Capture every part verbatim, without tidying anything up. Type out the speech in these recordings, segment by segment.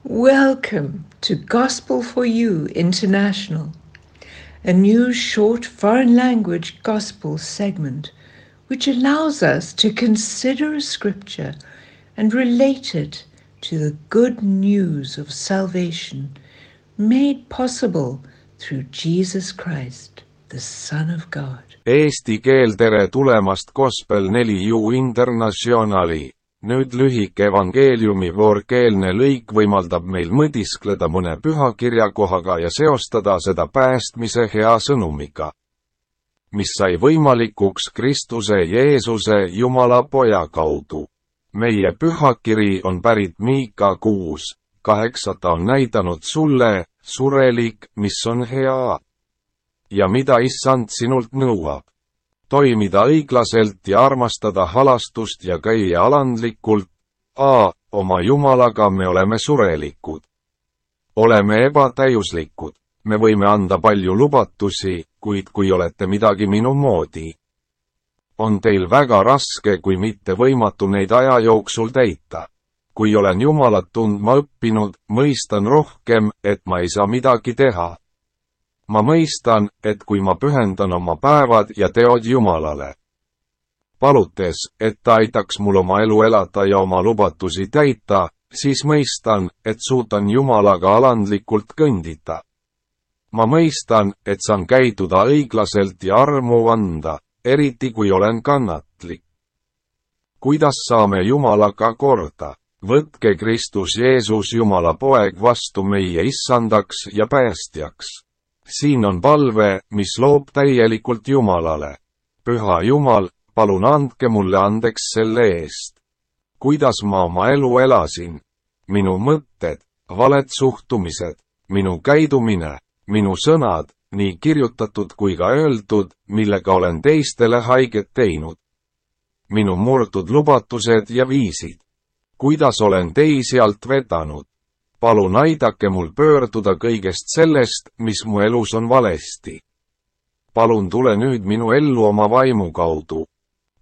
Welcome to Gospel for You International, a new short foreign language gospel segment which allows us to consider a scripture and relate it to the good news of salvation made possible through Jesus Christ, the Son of God. Eesti keel, tere tulemast Gospel neli U Internationali. Nüüd lühike evangeeliumi voorkeelne lõik võimaldab meil mõtiskleda mõne pühakirjakohaga ja seostada seda päästmise hea sõnumiga, mis sai võimalikuks Kristuse Jeesuse Jumala Poja kaudu. Meie pühakiri on pärit Miika kuus kaheksa, ta on näidanud sulle, surelik, mis on hea ja mida Issand sinult nõuab. Toimida õiglaselt ja armastada halastust ja käia alandlikult. A. Oma Jumalaga me oleme surelikud. Oleme ebatäiuslikud. Me võime anda palju lubatusi, kuid kui olete midagi minu moodi, on teil väga raske kui mitte võimatu neid aja jooksul täita. Kui olen Jumalat tundma õppinud, mõistan rohkem, et ma ei saa midagi teha. Ma mõistan, et kui ma pühendan oma päevad ja teod Jumalale, palutes, et ta aitaks mul oma elu elada ja oma lubatusi täita, siis mõistan, et suudan Jumalaga alandlikult kõndida. Ma mõistan, et saan käituda õiglaselt ja armu anda, eriti kui olen kannatlik. Kuidas saame Jumalaga korda? Võtke Kristus Jeesus Jumala Poeg vastu meie issandaks ja päästjaks. Siin on palve, mis loob täielikult Jumalale. Püha Jumal, palun andke mulle andeks selle eest. Kuidas ma oma elu elasin? Minu mõtted, valed suhtumised, minu käidumine, minu sõnad, nii kirjutatud kui ka öeldud, millega olen teistele haiget teinud. Minu murtud lubatused ja viisid. Kuidas olen teisi alt vedanud? Palun aidake mul pöörduda kõigest sellest, mis mu elus on valesti. Palun tule nüüd minu ellu oma vaimu kaudu.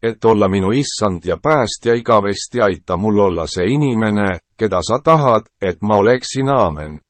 Et olla minu issand ja päästja igavesti, aita mul olla see inimene, keda sa tahad, et ma oleksin. Aamen.